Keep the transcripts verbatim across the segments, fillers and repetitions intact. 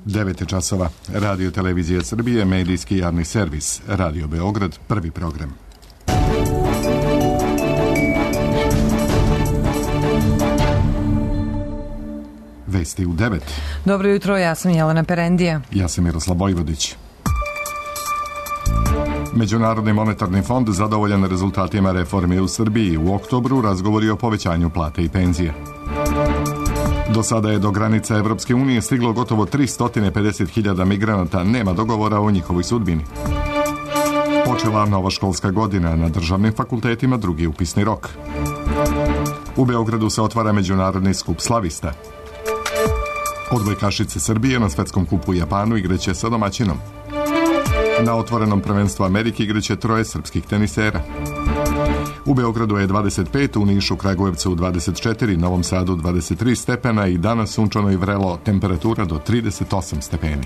devet časova. Radio Televizija Srbije, medijski javni servis. Radio Beograd, prvi program. Vesti u devet. Dobro jutro, ja sam Jelena Perendija. Ja sam Miroslav Vojvodić. Međunarodni monetarni fond zadovoljan rezultatima reforme u Srbiji. U oktobru razgovori o povećanju plate i penzije. Do sada je do granica Evropske unije stiglo gotovo tristo pedeset hiljada migranata, nema dogovora o njihovoj sudbini. Počela nova školska godina, na državnim fakultetima drugi upisni rok. U Beogradu se otvara međunarodni skup slavista. Odbojkašice Srbije na svetskom kupu u Japanu igraće sa domaćinom. Na otvorenom prvenstvu Amerike igraće troje srpskih tenisera. U Beogradu je dvadeset pet, u Nišu, Kragujevcu dvadeset četiri, Novom Sadu dvadeset tri stepena i danas sunčano i vrelo, temperatura do trideset osam stepeni.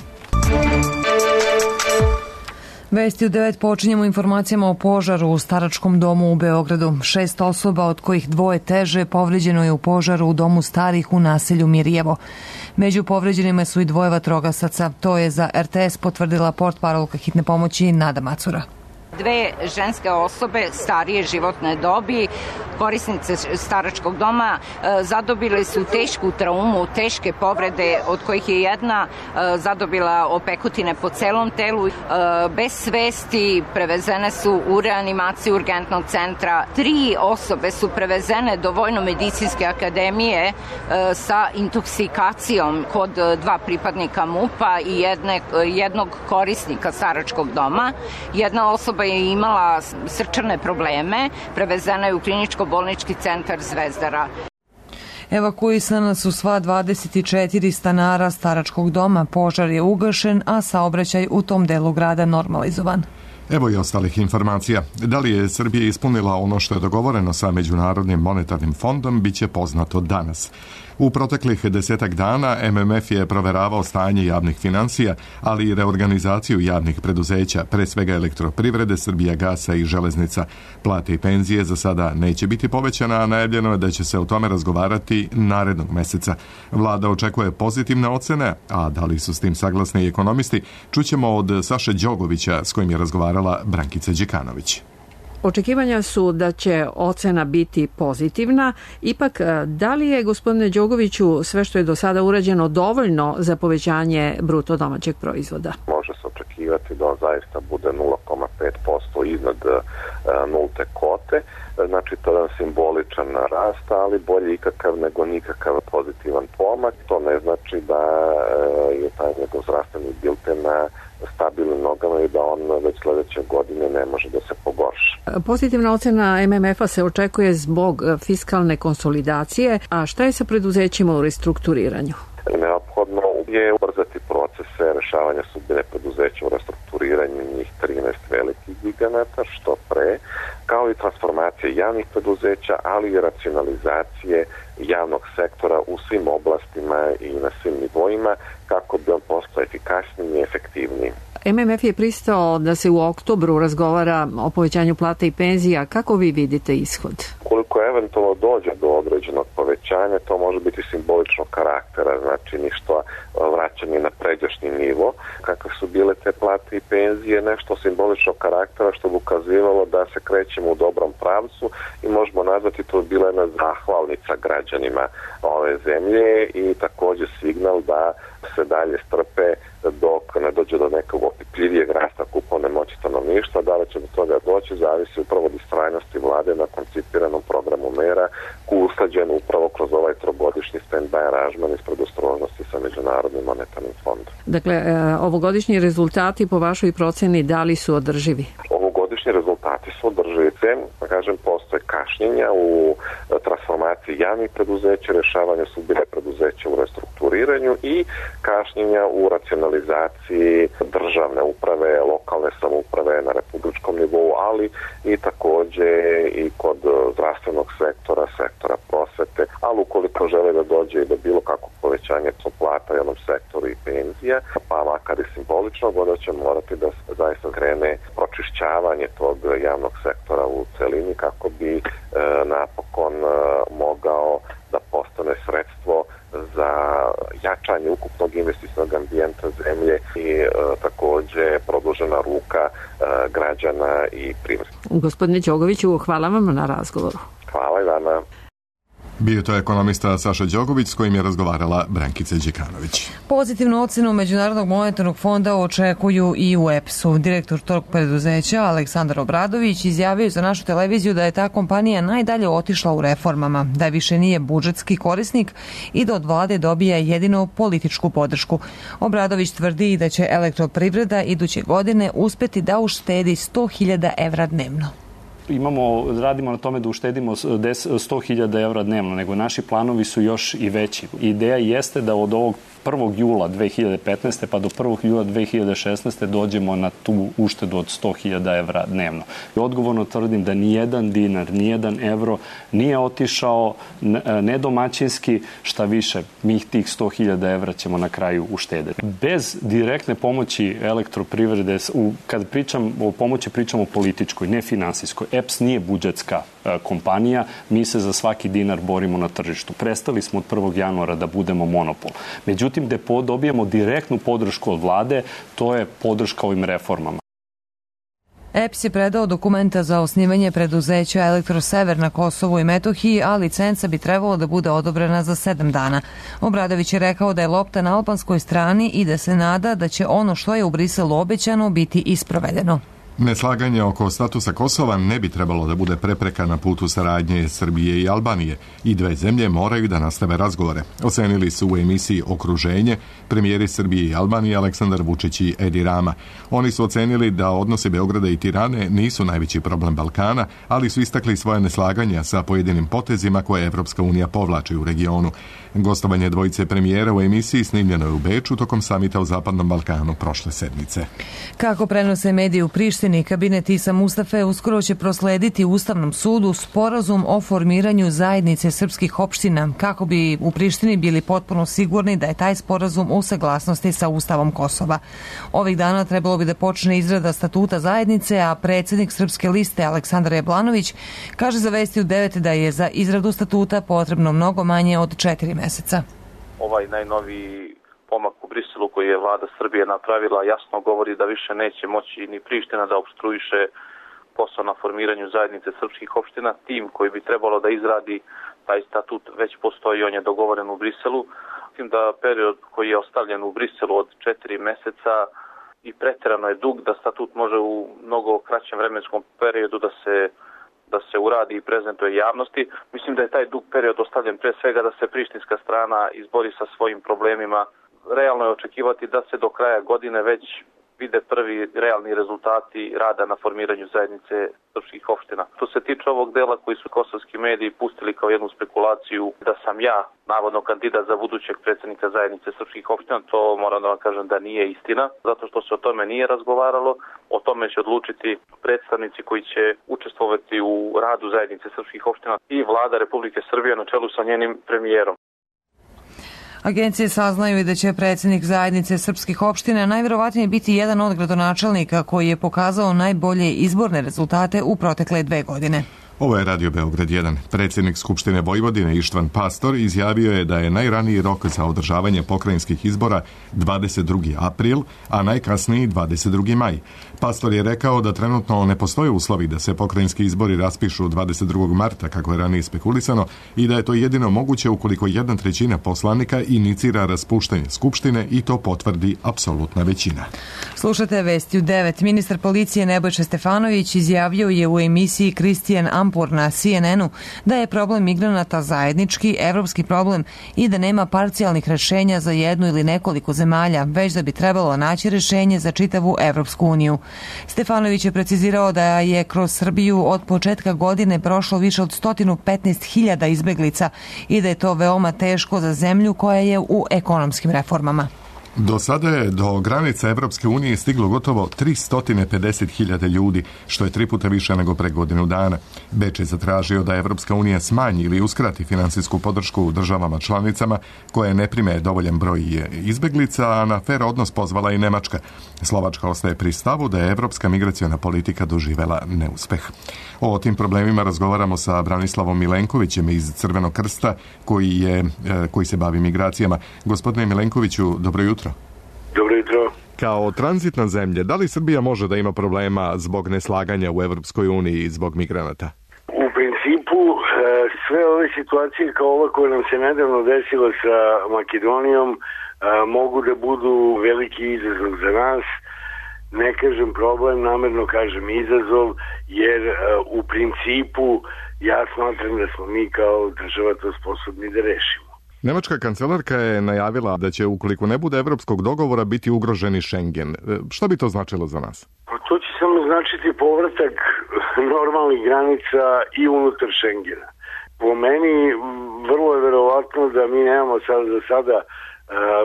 Vesti u devet počinjemo informacijama o požaru u staračkom domu u Beogradu. Šest osoba, od kojih dvoje teže, povređeno je u požaru u domu starih u naselju Mirjevo. Među povređenima su i dvoje vatrogasaca. To je za er te es potvrdila portparolka hitne pomoći Nada Macura. Dve ženske osobe starije životne dobi, korisnice staračkog doma, zadobile su tešku traumu, teške povrede, od kojih je jedna zadobila opekotine po celom telu. Bez svesti prevezene su u reanimaciju urgentnog centra. Tri osobe su prevezene do Vojno-medicinske akademije sa intoksikacijom kod dva pripadnika MUP-a i jedne, jednog korisnika staračkog doma. Jedna osoba je imala srčane probleme, prevezena je u kliničko-bolnički centar Zvezdara. Evakuisana su sva dvadeset četiri stanara staračkog doma, požar je ugašen, a saobraćaj u tom delu grada normalizovan. Evo i ostalih informacija. Da li je Srbija ispunila ono što je dogovoreno sa Međunarodnim monetarnim fondom, bit će poznato danas. U proteklih desetak dana em em ef je proveravao stanje javnih finansija, ali i reorganizaciju javnih preduzeća, pre svega elektroprivrede, Srbijagasa i železnica. Plate i penzije za sada neće biti povećana, a najavljeno je da će se o tome razgovarati narednog meseca. Vlada očekuje pozitivne ocene, a da li su s tim saglasni i ekonomisti, čućemo od Saše Đogovića, s kojim je razgovarala Brankica Đekanović. Očekivanja su da će ocena biti pozitivna. Ipak, da li je, gospodine Đogoviću, sve što je do sada urađeno dovoljno za povećanje bruto domaćeg proizvoda? Može se očekivati da on zaista bude nula zarez pet posto iznad nulte kote. Znači, to je simboličan rast, ali bolje ikakav nego nikakav pozitivan pomak. To ne znači da je taj njegov zdravstveni bilten na stabilnim nogama i da on već sledeće godine ne može da se pogorša. Pozitivna ocena em em ef-a se očekuje zbog fiskalne konsolidacije, a šta je sa preduzećima u restrukturiranju? Neophodno je ubrzati procese rešavanja sudbine preduzeća u restrukturiranju njih trinaest velikih giganata, što pre, kao i transformacije javnih preduzeća, ali i racionalizacije javnog sektora u svim oblastima i na svim nivoima, kako bi on postao efikasniji i efektivniji. em em ef je pristao da se u oktobru razgovara o povećanju plata i penzija. Kako vi vidite ishod? Koliko eventualno dođe do određenog povećanja, to može biti simboličnog karaktera, znači ništa vraćanje na pređašnji nivo. Kakve su bile te plate i penzije, nešto simboličnog karaktera što bi ukazivalo da se krećemo u dobrom pravcu i možemo nazvati to bila jedna zahvalnica građanima ove zemlje i takođe signal da se dalje strpe dok ne dođe do nekog opipljivijeg rasta kupovne moći stanovništva. Da li će do toga doći, zavisi upravo od istrajnosti vlade na koncipiranom programu mera koji je usklađen upravo kroz ovaj trogodišnji stand-by aranžman iz predostrožnosti sa Međunarodnim monetarnim fondom. Dakle, ovogodišnji rezultati po vašoj proceni da li su održivi? Ovogodišnji rezultati su održivi. Da kažem, postoje kašnjenja u transformaciji javnih preduzeća, rešavanju sudbine preduzeća u restrukturiranju i kašnjenja u racionalizaciji državne uprave, lokalne samouprave na republičkom nivou, ali i takođe i kod zdravstvenog sektora, sektora prosvete, ali ukoliko žele da dođe i do bilo kakvog povećanja plata u jednom sektoru i penzija, pa makar i simboličnog, onda će morati da se zaista krene pročišćavanje tog javnog sektora u celini kako bi e, napokon e, mogao da postane sredstvo za jačanje ukupnog investicionog ambijenta zemlje i e, takođe produžena ruka e, građana i privrede. Gospodine Đogoviću, hvala vam na razgovoru. Hvala i vama. Bio to ekonomista Saša Đogović s kojim je razgovarala Brankica Đekanović. Pozitivnu ocenu Međunarodnog monetarnog fonda očekuju i u E P S-u. Direktor tog preduzeća Aleksandar Obradović izjavio za našu televiziju da je ta kompanija najdalje otišla u reformama, da više nije budžetski korisnik i da od vlade dobija jedino političku podršku. Obradović tvrdi i da će elektroprivreda iduće godine uspeti da uštedi sto hiljada evra dnevno. Imamo, radimo na tome da uštedimo sto hiljada evra dnevno, nego naši planovi su još i veći. Ideja jeste da od ovog prvog jula dve hiljade petnaeste pa do prvog jula dve hiljade šesnaeste dođemo na tu uštedu od sto hiljada evra dnevno. I odgovorno tvrdim da nijedan dinar, nijedan evro nije otišao nedomaćinski, šta više, mi tih sto hiljada evra ćemo na kraju uštedeti. Bez direktne pomoći elektroprivrede, kad pričam o pomoći, pričam o političkoj, ne finansijskoj. E P S nije budžetska kompanija, mi se za svaki dinar borimo na tržištu. Prestali smo od prvog januara da budemo monopol. Međutim, gde dobijemo direktnu podršku od vlade, to je podrška ovim reformama. E P S je predao dokumenta za osnivanje preduzeća Elektrosever na Kosovu i Metohiji, a licenca bi trebalo da bude odobrena za sedam dana. Obradović je rekao da je lopta na albanskoj strani i da se nada da će ono što je u Briselu obećano biti isprovedeno. Neslaganje oko statusa Kosova ne bi trebalo da bude prepreka na putu saradnje Srbije i Albanije i dve zemlje moraju da nastave razgovore. Ocenili su u emisiji Okruženje premijeri Srbije i Albanije Aleksandar Vučić i Edi Rama. Oni su ocenili da odnosi Beograda i Tirane nisu najveći problem Balkana, ali su istakli svoje neslaganja sa pojedinim potezima koje Evropska unija povlači u regionu. Gostovanje dvojice premijera u emisiji snimljeno je u Beču tokom samita o Zapadnom Balkanu prošle sedmice. Kako prenose mediji u Prištini, kabinet Isa Mustafe uskoro će proslediti Ustavnom sudu sporazum o formiranju zajednice srpskih opština, kako bi u Prištini bili potpuno sigurni da je taj sporazum u saglasnosti sa Ustavom Kosova. Ovih dana trebalo bi da počne izrada statuta zajednice, a predsjednik Srpske liste Aleksandar Jablanović kaže za Vesti u devet da je za izradu statuta potrebno mnogo manje od četiri meseca. Ovaj najnoviji pomak u Briselu koji je vlada Srbije napravila jasno govori da više neće moći ni Priština da opstruiše posao na formiranju zajednice srpskih opština. Tim koji bi trebalo da izradi taj statut već postoji, on je dogovoren u Briselu. Mislim da period koji je ostavljen u Briselu od četiri meseca i preterano je dug, da statut može u mnogo kraćem vremenskom periodu da se da se uradi i prezentuje javnosti. Mislim da je taj dug period ostavljen pre svega da se prištinska strana izbori sa svojim problemima. Realno je očekivati da se do kraja godine već vide prvi realni rezultati rada na formiranju zajednice srpskih opština. Što se tiče ovog dela koji su kosovski mediji pustili kao jednu spekulaciju da sam ja navodno kandidat za budućeg predsjednika zajednice srpskih opština, to moram da vam kažem da nije istina, zato što se o tome nije razgovaralo. O tome će odlučiti predstavnici koji će učestvovati u radu zajednice srpskih opština i vlada Republike Srbije na čelu sa njenim premijerom. Agencije saznaju i da će predsjednik zajednice srpskih opština najvjerovatnije biti jedan od gradonačelnika koji je pokazao najbolje izborne rezultate u protekle dve godine. Ovo je Radio Beograd jedan. Predsjednik Skupštine Vojvodine Ištvan Pastor izjavio je da je najraniji rok za održavanje pokrajinskih izbora dvadeset drugi april, a najkasniji dvadeset drugi maj. Pastor je rekao da trenutno ne postoje uslovi da se pokrajinski izbori raspišu dvadeset drugog marta, kako je ranije spekulisano, i da je to jedino moguće ukoliko jedna trećina poslanika inicira raspuštanje Skupštine i to potvrdi apsolutna većina. Slušate Vesti u devet. Ministar policije Nebojša Stefanović izjavio je u emisiji Kristijan Ampur na C N N-u da je problem migranata zajednički evropski problem i da nema parcijalnih rešenja za jednu ili nekoliko zemalja, već da bi trebalo naći rešenje za čitavu Evropsku uniju. Stefanović je precizirao da je kroz Srbiju od početka godine prošlo više od sto petnaest hiljada izbeglica i da je to veoma teško za zemlju koja je u ekonomskim reformama. Do sada je do granica Evropske unije stiglo gotovo tristo pedeset hiljada ljudi, što je tri puta više nego pre godinu dana. Beč je zatražio da Evropska unija smanji ili uskrati finansijsku podršku državama članicama koje ne prime dovoljan broj izbeglica, a na fer odnos pozvala i Nemačka. Slovačka ostaje pri stavu da je evropska migraciona politika doživela neuspeh. O tim problemima razgovaramo sa Branislavom Milenkovićem iz Crvenog krsta koji, je, koji se bavi migracijama. Gospodine Milenkoviću, dobro jutro. Dobro jutro. Kao tranzitna zemlja, da li Srbija može da ima problema zbog neslaganja u Evropskoj uniji i zbog migranata? U principu, sve ove situacije kao ova koja nam se nedavno desila sa Makedonijom mogu da budu veliki izazov za nas. Ne kažem problem, namerno kažem izazov, jer u principu ja smatram da smo mi kao država to sposobni da rešimo. Nemačka kancelarka je najavila da će, ukoliko ne bude evropskog dogovora, biti ugroženi Schengen. Šta bi to značilo za nas? To će samo značiti povratak normalnih granica i unutar Schengena. Po meni vrlo je verovatno da mi nemamo sad za sada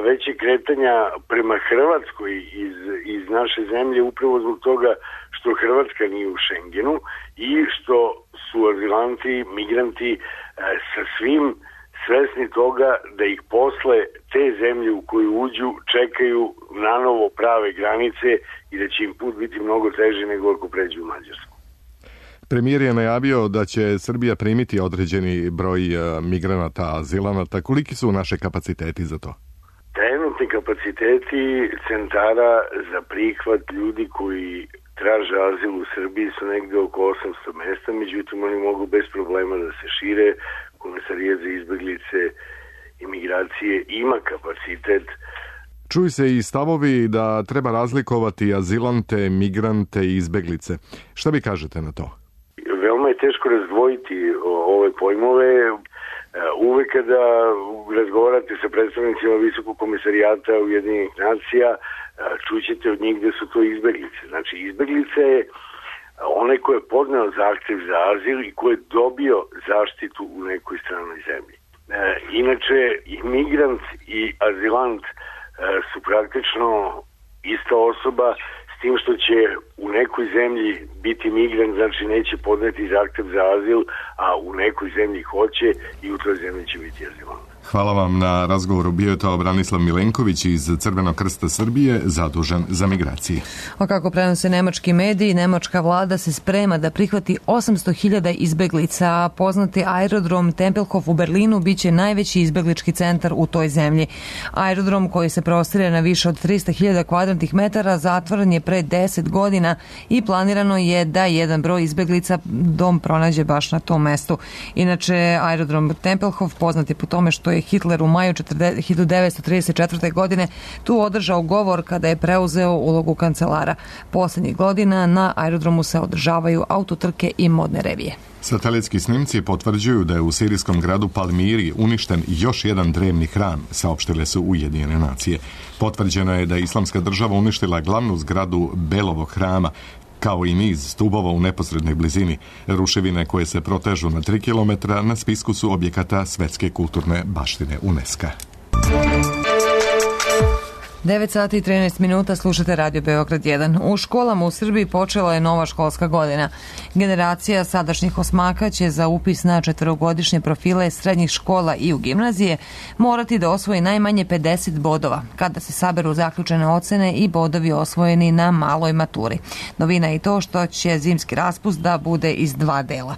veće kretanja prema Hrvatskoj iz, iz naše zemlje upravo zbog toga što Hrvatska nije u Schengenu i što su azilanti, migranti sa svim svesni toga da ih posle te zemlje u koju uđu čekaju nanovo prave granice i da će im put biti mnogo teži nego ako pređu u Mađarsku. Premijer je najavio da će Srbija primiti određeni broj migranata, azilanata. Koliki su naše kapaciteti za to? Trenutni kapaciteti centara za prihvat ljudi koji traže azil u Srbiji su negde oko osamsto mesta, međutim oni mogu bez problema da se šire. Komesarijat za izbeglice i migracije ima kapacitet. Čuju se i stavovi da treba razlikovati azilante, migrante i izbeglice. Šta vi kažete na to? Veoma je teško razdvojiti ove pojmove. Uvek kada razgovarate sa predstavnicima Visokog komisarijata Ujedinjenih nacija, čućete od njih da su to izbeglice. Znači, izbeglice je onaj ko je podneo zahtev za azil i ko je dobio zaštitu u nekoj stranoj zemlji. E, inače, i migrant i azilant e, su praktično ista osoba, s tim što će u nekoj zemlji biti migrant, znači neće podneti zahtev za azil, a u nekoj zemlji hoće i u toj zemlji će biti azilant. Hvala vam na razgovoru. Bio je to Branislav Milenković iz Crvenog krsta Srbije, zadužen za migracije. A kako prenose nemački mediji, nemačka vlada se sprema da prihvati osamsto hiljada izbeglica. Poznati aerodrom Tempelhof u Berlinu biće najveći izbeglički centar u toj zemlji. Aerodrom koji se prostire na više od trista hiljada kvadratnih metara zatvoren je pre deset godina i planirano je da jedan broj izbeglica dom pronađe baš na tom mestu. Inače, aerodrom Tempelhof poznat je po tome što je Hitler u maju hiljadu devetsto trideset četvrte. godine tu održao govor kada je preuzeo ulogu kancelara. Poslednjih godina na aerodromu se održavaju autotrke i modne revije. Satelitski snimci potvrđuju da je u sirijskom gradu Palmiri uništen još jedan drevni hram, saopštile su Ujedinjene nacije. Potvrđeno je da je Islamska država uništila glavnu zgradu Belovog hrama, kao i niz stubova u neposrednoj blizini. Ruševine koje se protežu na tri kilometra na spisku su objekata svetske kulturne baštine UNESCO. devet sati i trinaest minuta, slušate Radio Beograd jedan. U školama u Srbiji počela je nova školska godina. Generacija sadašnjih osmaka će za upis na četvorogodišnje profile srednjih škola i u gimnazije morati da osvoji najmanje pedeset bodova, kada se saberu zaključene ocene i bodovi osvojeni na maloj maturi. Novina je i to što će zimski raspust da bude iz dva dela.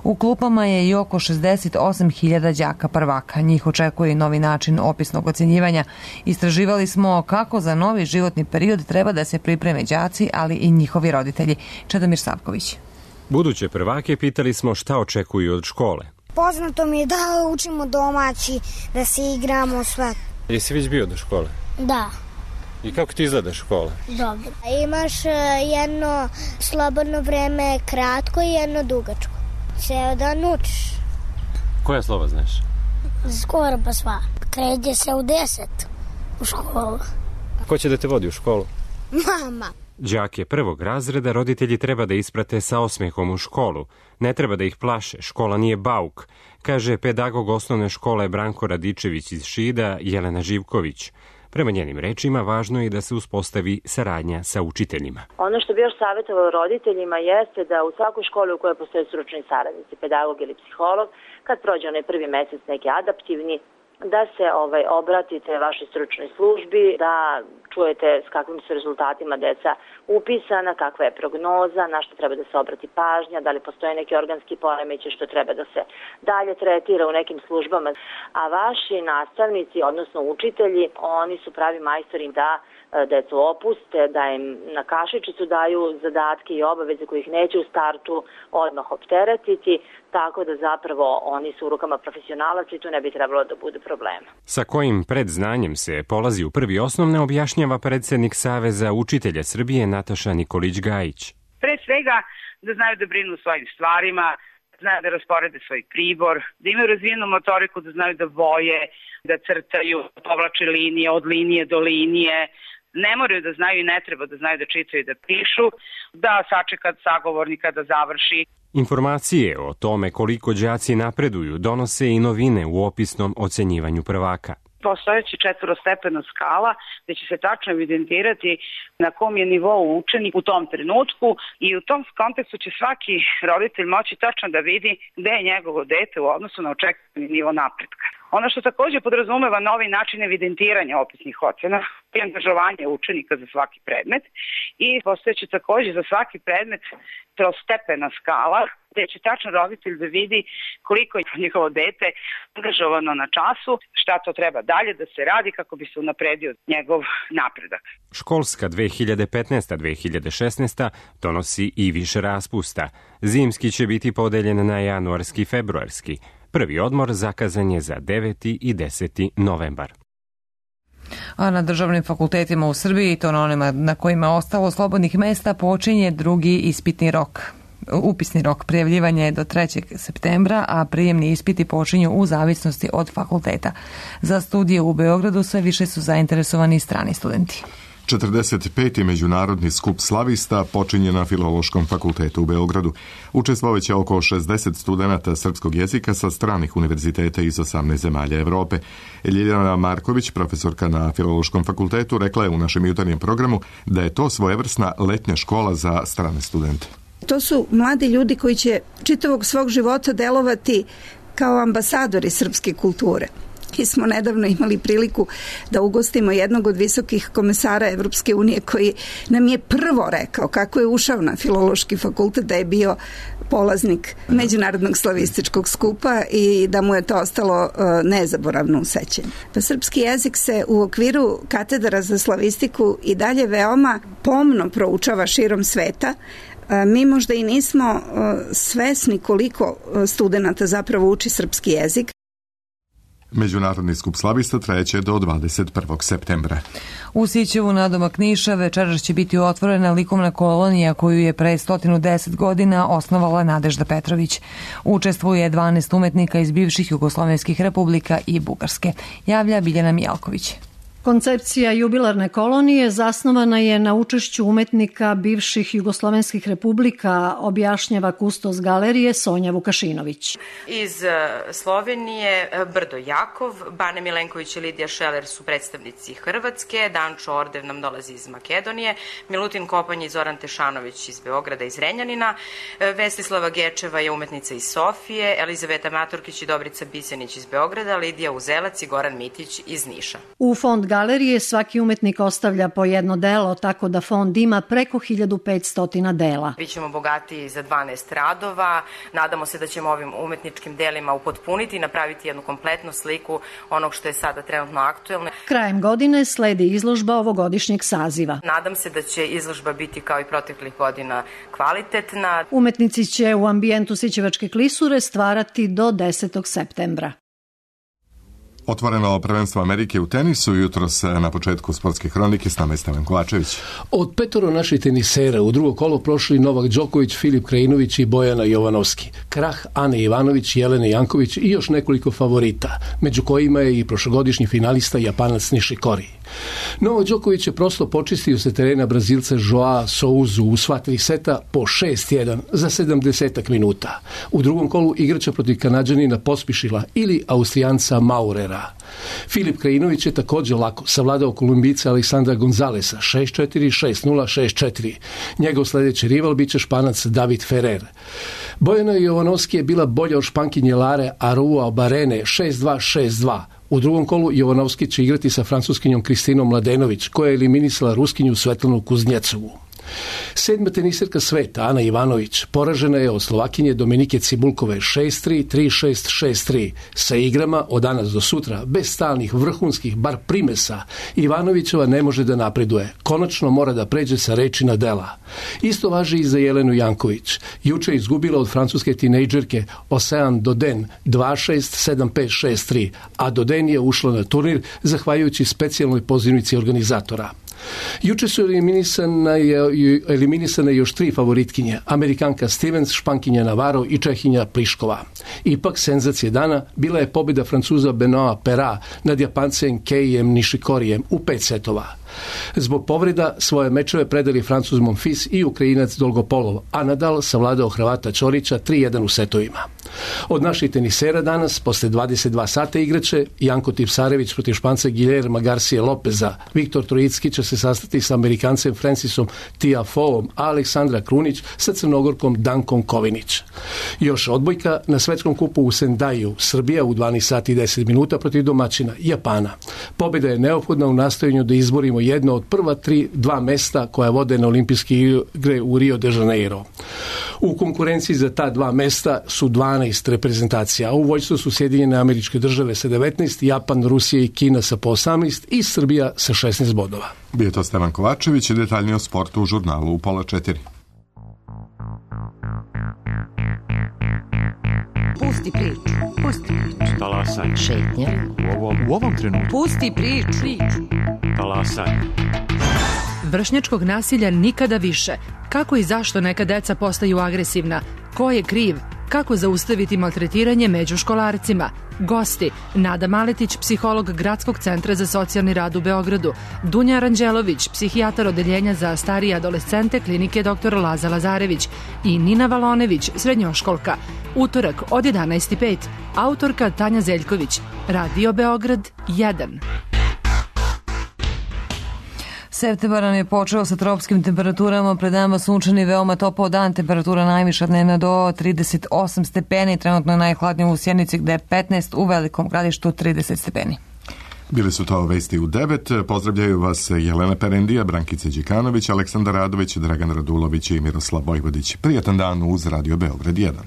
U klupama je i oko šezdeset osam hiljada đaka prvaka. Njih očekuje i novi način opisnog ocenjivanja. Istraživali smo kako za novi životni period treba da se pripreme đaci, ali i njihovi roditelji. Čedomir Savković. Buduće prvake pitali smo šta očekuju od škole. Poznato mi je da učimo domaći, da se igramo, sve. Jesi već bio do škole? Da. I kako ti izgleda škola? Dobro. Imaš jedno slobodno vreme kratko i jedno dugačko. Ceo dan učiš. Koja slova znaš? Skoro pa sva. Kreće se u deset u školu. Ko će da te vodi u školu? Mama. Đake prvog razreda roditelji treba da isprate sa osmehom u školu. Ne treba da ih plaše, škola nije bauk, kaže pedagog osnovne škole Branko Radičević iz Šida, Jelena Živković. Prema njenim rečima, važno je da se uspostavi saradnja sa učiteljima. Ono što bi još savjetovalo roditeljima jeste da u svakoj školi u kojoj postoje stručni saradnici, pedagog ili psiholog, kad prođe onaj prvi mesec neki adaptivni, da se ovaj obratite vašoj stručnoj službi, da čujete s kakvim su rezultatima deca upisana, kakva je prognoza, na što treba da se obrati pažnja, da li postoje neki organski poremećaj što treba da se dalje tretira u nekim službama. A vaši nastavnici, odnosno učitelji, oni su pravi majstori da decu opuste, da im na kašičicu daju zadatke i obaveze kojih neće u startu odmah opteretiti, tako da zapravo oni su u rukama profesionalaca i tu ne bi trebalo da bude problema. Sa kojim predznanjem se polazi u prvi osnovne objašnjava predsednik Saveza učitelja Srbije Nataša Nikolić-Gajić. Pre svega da znaju da brinu o svojim stvarima, znaju da rasporede svoj pribor, da imaju razvijenu motoriku, da znaju da boje, da crtaju, povlače linije od linije do linije. Ne moraju da znaju i ne treba da znaju da čitaju i da pišu, da sačeka sagovornika da završi. Informacije o tome koliko đaci napreduju donose i novine u opisnom ocenjivanju prvaka. Postojeći četvorostepena skala gde će se tačno evidentirati na kom je nivou učenik u tom trenutku i u tom kontekstu će svaki roditelj moći tačno da vidi gde je njegovo dete u odnosu na očekivani nivo napretka. Ono što takođe podrazumeva novi način evidentiranja opisnih ocena i angažovanje učenika za svaki predmet i postojeće takođe za svaki predmet trostepena skala gde će tačno roditelj da vidi koliko je njihovo dete angažovano na času, šta to treba dalje da se radi kako bi se unapredio njegov napredak. Školska dve hiljade petnaesta dve hiljade šesnaesta donosi i više raspusta. Zimski će biti podeljen na januarski i februarski. Prvi odmor zakazan je za deveti i deseti novembar. A na državnim fakultetima u Srbiji, to na onima na kojima je ostalo slobodnih mesta, počinje drugi ispitni rok. Upisni rok prijavljivanja je do trećeg septembra, a prijemni ispiti počinju u zavisnosti od fakulteta. Za studije u Beogradu sve više su zainteresovani strani studenti. četrdeset peti međunarodni skup slavista počinje na Filološkom fakultetu u Beogradu. Učestvovaće oko šezdeset studenata srpskog jezika sa stranih univerziteta iz osamnaest zemalja Evrope. Ljiljana Marković, profesorka na Filološkom fakultetu, rekla je u našem jutarnjem programu da je to svojevrsna letnja škola za strane studente. To su mladi ljudi koji će čitavog svog života delovati kao ambasadori srpske kulture. Mi smo nedavno imali priliku da ugostimo jednog od visokih komesara Evropske unije koji nam je prvo rekao kako je ušao na Filološki fakultet, da je bio polaznik međunarodnog slavističkog skupa i da mu je to ostalo uh, nezaboravno u sećanju. Pa srpski jezik se u okviru katedra za slavistiku i dalje veoma pomno proučava širom sveta. Mi možda i nismo uh, svesni koliko studenata zapravo uči srpski jezik. Međunarodni skup slavista trajeće do dvadeset prvog septembra. U Sićevu nadomak Niša večeras će biti otvorena likovna kolonija koju je pre sto deset godina osnovala Nadežda Petrović. Učestvuje dvanaest umetnika iz bivših jugoslovenskih republika i Bugarske. Javlja Biljana Mijalković. Koncepcija jubilarne kolonije zasnovana je na učešću umetnika bivših jugoslovenskih republika, objašnjava kustos galerije Sonja Vukašinović. Iz Slovenije Brdo Jakov, Bane Milenković i Lidija Šeler su predstavnici Hrvatske, Dančo Ordev nam dolazi iz Makedonije, Milutin Kopanj i Zoran Tešanović iz Beograda i Zrenjanina, Vestislava Gečeva je umetnica iz Sofije, Elizaveta Maturkić i Dobrica Bisenić iz Beograda, Lidija Uzelac i Goran Mitić iz Niša. U fond galerije svaki umetnik ostavlja po jedno delo, tako da fond ima preko hiljadu petsto dela. Bićemo bogati za dvanaest radova, nadamo se da ćemo ovim umetničkim delima upotpuniti i napraviti jednu kompletnu sliku onog što je sada trenutno aktuelno. Krajem godine sledi izložba ovogodišnjeg saziva. Nadam se da će izložba biti kao i proteklih godina kvalitetna. Umetnici će u ambijentu Sićevačke klisure stvarati do desetog septembra. Otvoreno prvenstvo Amerike u tenisu jutros na početku sportske hronike s nama je Stevan Kovačević. Od petoro naših tenisera u drugo kolo prošli Novak Đoković, Filip Krajinović i Bojana Jovanovski. Krah Ane Ivanović, Jelene Janković i još nekoliko favorita, među kojima je i prošlogodišnji finalista Japanac Nishikori. Novak Đoković je prosto počistio se terena Brazilca Joao Souzu u sva tri seta po šest jedan za sedamdesetak minuta. U drugom kolu igrača protiv Kanađanina Pospišila ili Austrijanca Maurera Beograda. Filip Krajinović je također lako savladao Kolumbijca Aleksandra Gonzalesa šest četiri, šest nula, šest četiri. Njegov sljedeći rival biće Španac David Ferrer. Bojana Jovanovski je bila bolja od Špankinje Lare Arua Barene šest dva, šest dva. U drugom kolu Jovanovski će igrati sa francuskinjom Kristinom Mladenović, koja je eliminisala Ruskinju Svetlanu Kuznjecovu. Sedma teniserka sveta, Ana Ivanović, poražena je od Slovakinje Dominike Cibulkove šest tri, tri šest, šest tri. Sa igrama od danas do sutra, bez stalnih vrhunskih, bar primesa, Ivanovićeva ne može da napreduje. Konačno mora da pređe sa reči na dela. Isto važi i za Jelenu Janković. Juče je izgubila od francuske tinejdžerke Ocean Doden dva šest, sedam pet, šest tri, a Doden je ušla na turnir zahvaljujući specijalnoj pozivnici organizatora. Juče su eliminisane, eliminisane još tri favoritkinje, Amerikanka Stevens, Špankinja Navarro i Čehinja Pliškova. Ipak senzacija dana bila je pobjeda Francuza Benoa Pera nad Japancem Keijem Nishikorijem u pet setova. Zbog povreda svoje mečeve predali Francuz Monfils i Ukrajinac Dolgopolov, a Nadal savladao Hrvata Ćorića tri jedan u setovima. Od naših tenisera danas, posle dvadeset dva sata igraće, Janko Tipsarević protiv Španca Guillerma Garcia Lopeza, Viktor Trojicki će se sastati sa Amerikancem Francisom Tiafoeom, a Aleksandra Krunić sa Crnogorkom Dankom Kovinić. Još odbojka na svetskom kupu u Sendaju, Srbija u dvanaest sati i deset minuta protiv domaćina Japana. Pobjeda je neophodna u nastojanju da izborimo jedno od prva tri, dva mesta koja vode na olimpijske igre u Rio de Janeiro. U konkurenciji za ta dva mesta su dvanaest reprezentacija, a u vojstvu su Sjedinjene Američke Države sa devetnaest, Japan, Rusija i Kina sa po osamnaest i Srbija sa šesnaest bodova. Bio to Stevan Kovačević i detaljnije o sportu u žurnalu u pola četiri. Pusti priču, pusti priču. Talasaj. Šetnja. U ovom, u ovom trenutku. Pusti priču. Talasaj. Vršnjačkog nasilja nikada više. Kako i zašto neka deca postaju agresivna? Ko je kriv? Kako zaustaviti maltretiranje među školarcima? Gosti: Nada Maletić, psiholog Gradskog centra za socijalni rad u Beogradu, Dunja Aranđelović, psihijatar odeljenja za starije adolescente klinike doktor Laza Lazarević i Nina Valonević, srednjoškolka. Utorak od jedanaest i pet. Autorka Tanja Zeljković. Radio Beograd jedan. Septembar nam je počeo sa tropskim temperaturama, pred nama sunčani, veoma topao dan, temperatura najviša dnevna do trideset osam stepeni, trenutno je najhladnije u Sjenici gde je petnaest, u Velikom Gradištu trideset stepeni. Bili su to vesti u devet. Pozdravljaju vas Jelena Perendija, Brankica Đikanović, Aleksandar Radović, Dragan Radulović i Miroslav Vojvodić. Prijatan dan uz Radio Beograd jedan.